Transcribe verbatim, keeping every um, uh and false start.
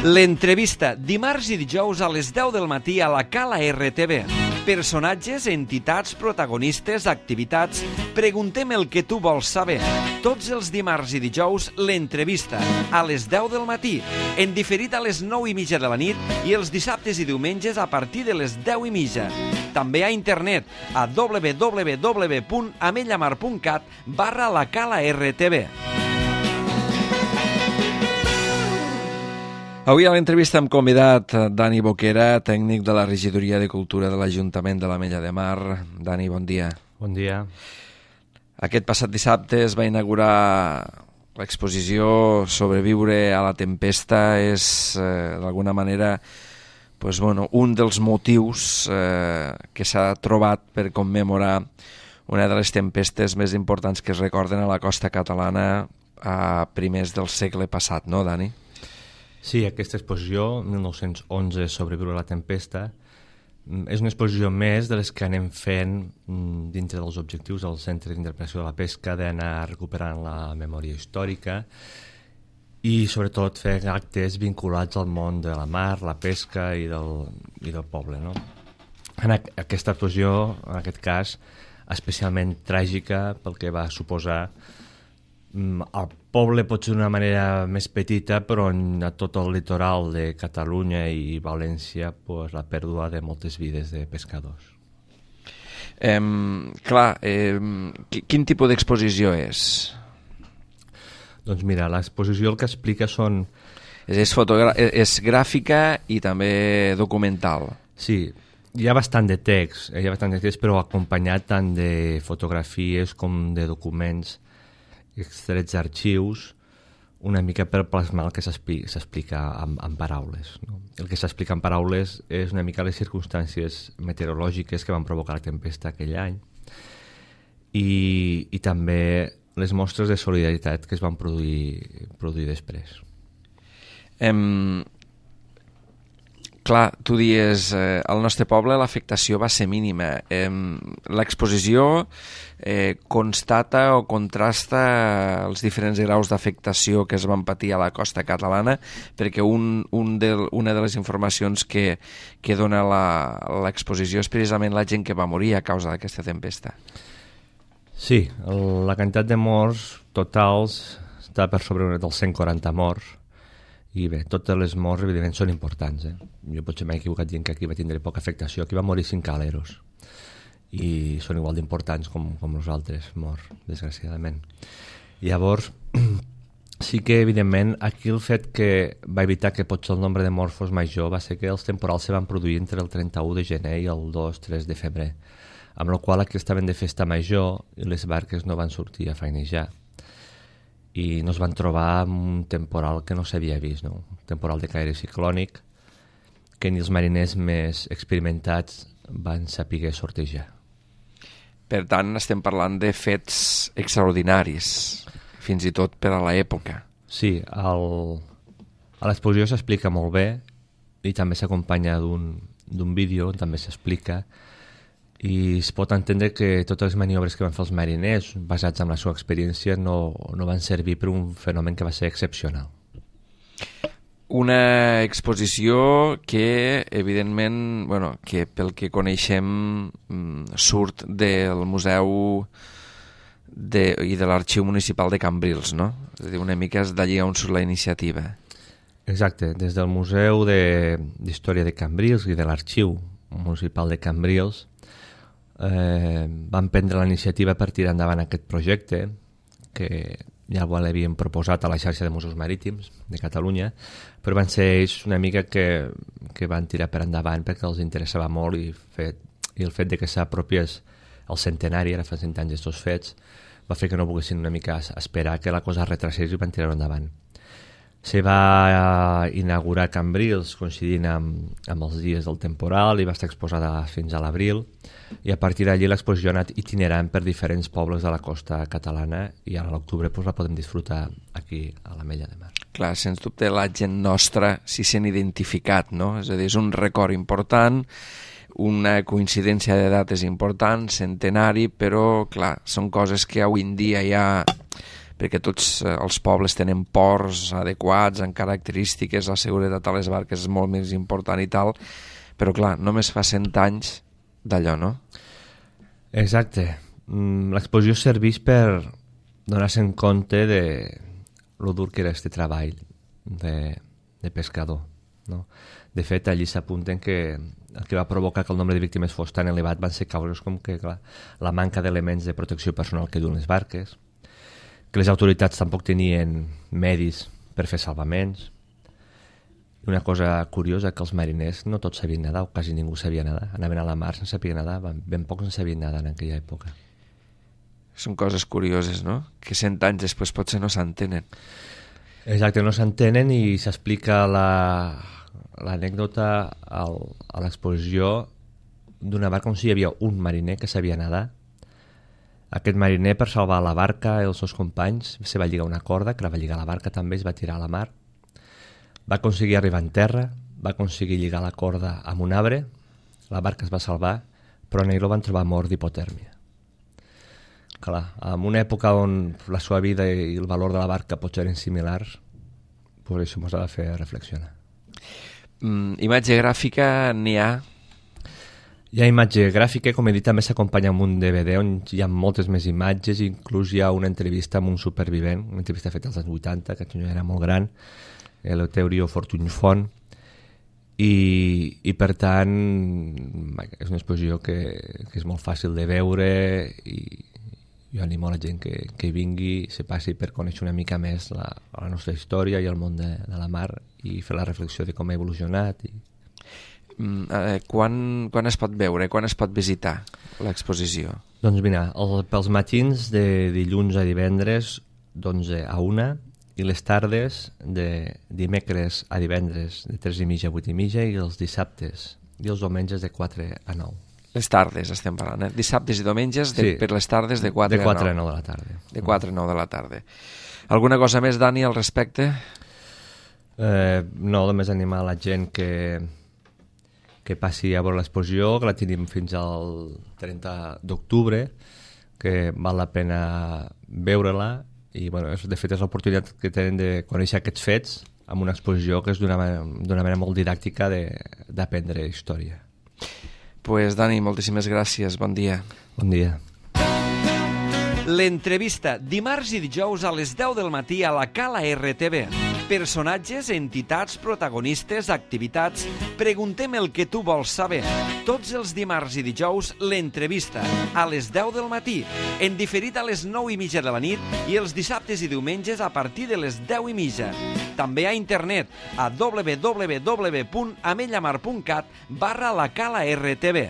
L'entrevista, dimarts i dijous a les deu del matí a la Cala R T V. Personatges, entitats, protagonistes, activitats... Preguntem el que tu vols saber. Tots els dimarts i dijous, l'entrevista, a les deu del matí, en diferit a les nou i mitja de la nit i els dissabtes i diumenges a partir de les deu i mitja. També a internet, a w w w punt amellamar punt cat barra la Cala R T V. Avui a l'entrevista hem convidat Dani Boquera, tècnic de la Regidoria de Cultura de l'Ajuntament de l'Ametlla de Mar. Dani, bon dia. Bon dia. Aquest passat dissabte es va inaugurar l'exposició Sobreviure a la tempesta. És, eh, d'alguna manera, pues, bueno, un dels motius eh, que s'ha trobat per commemorar una de les tempestes més importants que es recorden a la costa catalana a primers del segle passat, no, Dani? Sí, aquesta exposició, mil nou-cents onze, Sobreviure a la tempesta, és una exposició més de les que anem fent dintre dels objectius del Centre d'Interpretació de la Pesca, d'anar recuperant la memòria històrica i sobretot fer actes vinculats al món de la mar, la pesca i del, i del poble, no? En aquesta exposició, en aquest cas, especialment tràgica pel que va suposar al poble, potser d'una manera més petita, però a tot el litoral de Catalunya i València, pues, la pèrdua de moltes vides de pescadors. Eh, clar, eh, quin tipus d'exposició és? Doncs mira, l'exposició el que explica són... És, és, fotogra... és gràfica i també documental. Sí, hi ha bastant de text, hi ha bastant de text, però acompanyat tant de fotografies com de documents extrets d'arxius, una mica per plasmar el que s'explica en, en paraules, no? El que s'explica en paraules és una mica les circumstàncies meteorològiques que van provocar la tempesta aquell any i, i també les mostres de solidaritat que es van produir, produir després. Em... Clar, tu dies, eh, al nostre poble l'afectació va ser mínima. Eh, l'exposició eh, constata o contrasta els diferents graus d'afectació que es van patir a la costa catalana, perquè un, un de, una de les informacions que, que dona l'exposició és precisament la gent que va morir a causa d'aquesta tempesta. Sí, el, la quantitat de morts totals està per sobre dels cent quaranta morts. I bé, totes les morts, evidentment, són importants. Eh? Jo potser m'he equivocat dient que aquí va tindre poca afectació. Aquí va morir cinc caleros. I són igual d'importants com, com els altres morts, desgraciadament. Llavors, sí que, evidentment, aquí el fet que va evitar que potser el nombre de morts fos major va ser que els temporals se van produir entre el trenta-u de gener i el dos tres de febrer, amb la qual aquí estaven de festa major i les barques no van sortir a feinejar. I no es van trobar amb un temporal que no s'havia vist, no? Un temporal de caire ciclònic que ni els mariners més experimentats van saber sortejar. Per tant, estem parlant de fets extraordinaris, fins i tot per a l'època. Sí, el... a l'exposició s'explica molt bé i també s'acompanya d'un d'un vídeo on també s'explica i es pot entendre que totes les maniobres que van fer els mariners basats en la seva experiència no, no van servir per un fenomen que va ser excepcional. Una exposició que, evidentment, bueno, que pel que coneixem surt del Museu de, i de l'Arxiu Municipal de Cambrils, no? És a dir, una mica és d'allí on surt la iniciativa. Exacte, des del Museu d'Història de, de Cambrils i de l'Arxiu Municipal de Cambrils Eh, van prendre la iniciativa per tirar endavant aquest projecte que ja l'havien proposat a la xarxa de museus marítims de Catalunya, però van ser ells una mica que, que van tirar per endavant perquè els interessava molt i, fet, i el fet de que s'apropiés el centenari, ara fa cent anys d'estos fets, va fer que no poguessin una mica esperar que la cosa es retrasés i van tirar-ho endavant. Se va inaugurar Cambrils coincidint amb, amb els dies del temporal i va estar exposada fins a l'abril i a partir d'allí l'exposició ha anat itinerant per diferents pobles de la costa catalana i ara a l'octubre pues, la podem disfrutar aquí a l'Ametlla de Mar. Clar, sens dubte la gent nostra s'hi sent identificat, no? És a dir, és un record important, una coincidència de dates important, centenari, però clar, són coses que avui en dia ja perquè tots eh, els pobles tenen ports adequats, amb característiques, la seguretat a les barques és molt més important i tal, però clar, només fa cent anys d'allò, no? Exacte. L'exposició serveix per donar-se en compte de lo dur que era este treball de, de pescador, no? De fet, allí s'apunten que el que va provocar que el nombre de víctimes fos tan elevat van ser causes com que clar, la manca d'elements de protecció personal que duen les barques, que les autoritats tampoc tenien medis per fer salvaments. I una cosa curiosa, que els mariners no tots sabien nedar, o quasi ningú sabia nedar. Anaven a la mar sense saber nedar, ben pocs en sabien nedar en aquella època. Són coses curioses, no? Que cent anys després potser no s'entenen. Exacte, no s'entenen i s'explica la, l'anècdota al, a l'exposició d'una barca on sí hi havia un mariner que sabia nedar. Aquest mariner, per salvar la barca i els seus companys, se va lligar una corda, que la va lligar a la barca també, es va tirar a la mar. Va aconseguir arribar en terra, va aconseguir lligar la corda amb un arbre, la barca es va salvar, però en ell el van trobar mort d'hipotèrmia. Clar, en una època on la seva vida i el valor de la barca potser eren similars, pues això ens ha de fer reflexionar. Mm, imatge gràfica n'hi ha? Hi ha imatge gràfica, com he dit, també s'acompanya amb un D V D on hi ha moltes més imatges, inclús hi ha una entrevista amb un supervivent, una entrevista feta als anys vuitanta, que aquest era molt gran, l'Eleuterio Fortuny-Font, i, i per tant és una exposició que, que és molt fàcil de veure i jo animo a la gent que, que vingui, se passi per conèixer una mica més la, la nostra història i el món de, de la mar i fer la reflexió de com ha evolucionat. I... Mm, eh, quan, quan es pot veure, quan es pot visitar l'exposició? Doncs mira, el, pels matins de dilluns a divendres d'onze a una i les tardes de dimecres a divendres de tres i mitja a vuit i mitja i els dissabtes i els diumenges de quatre a nou. Les tardes estem parlant, eh? Dissabtes i diumenges de, sí, per les tardes de quatre a nou de la tarda. De quatre a nou de la tarda. Alguna cosa més, Dani, al respecte? Eh, no, només animar la gent que, que passi a veure l'exposició, que la tenim fins al trenta d'octubre, que val la pena veure-la i bueno, de fet és l'oportunitat que tenen de conèixer aquests fets amb una exposició que és d'una manera molt didàctica d'aprendre història. Pues Dani, moltíssimes gràcies, bon dia. Bon dia. L'entrevista, dimarts i dijous a les deu del matí a la Cala R T V. Personatges, entitats, protagonistes, activitats... Preguntem el que tu vols saber. Tots els dimarts i dijous, l'entrevista, a les deu del matí, en diferit a les nou i mitja de la nit i els dissabtes i diumenges a partir de les deu i mitja. També a internet, a w w w punt amellamar punt cat barra la Cala R T V.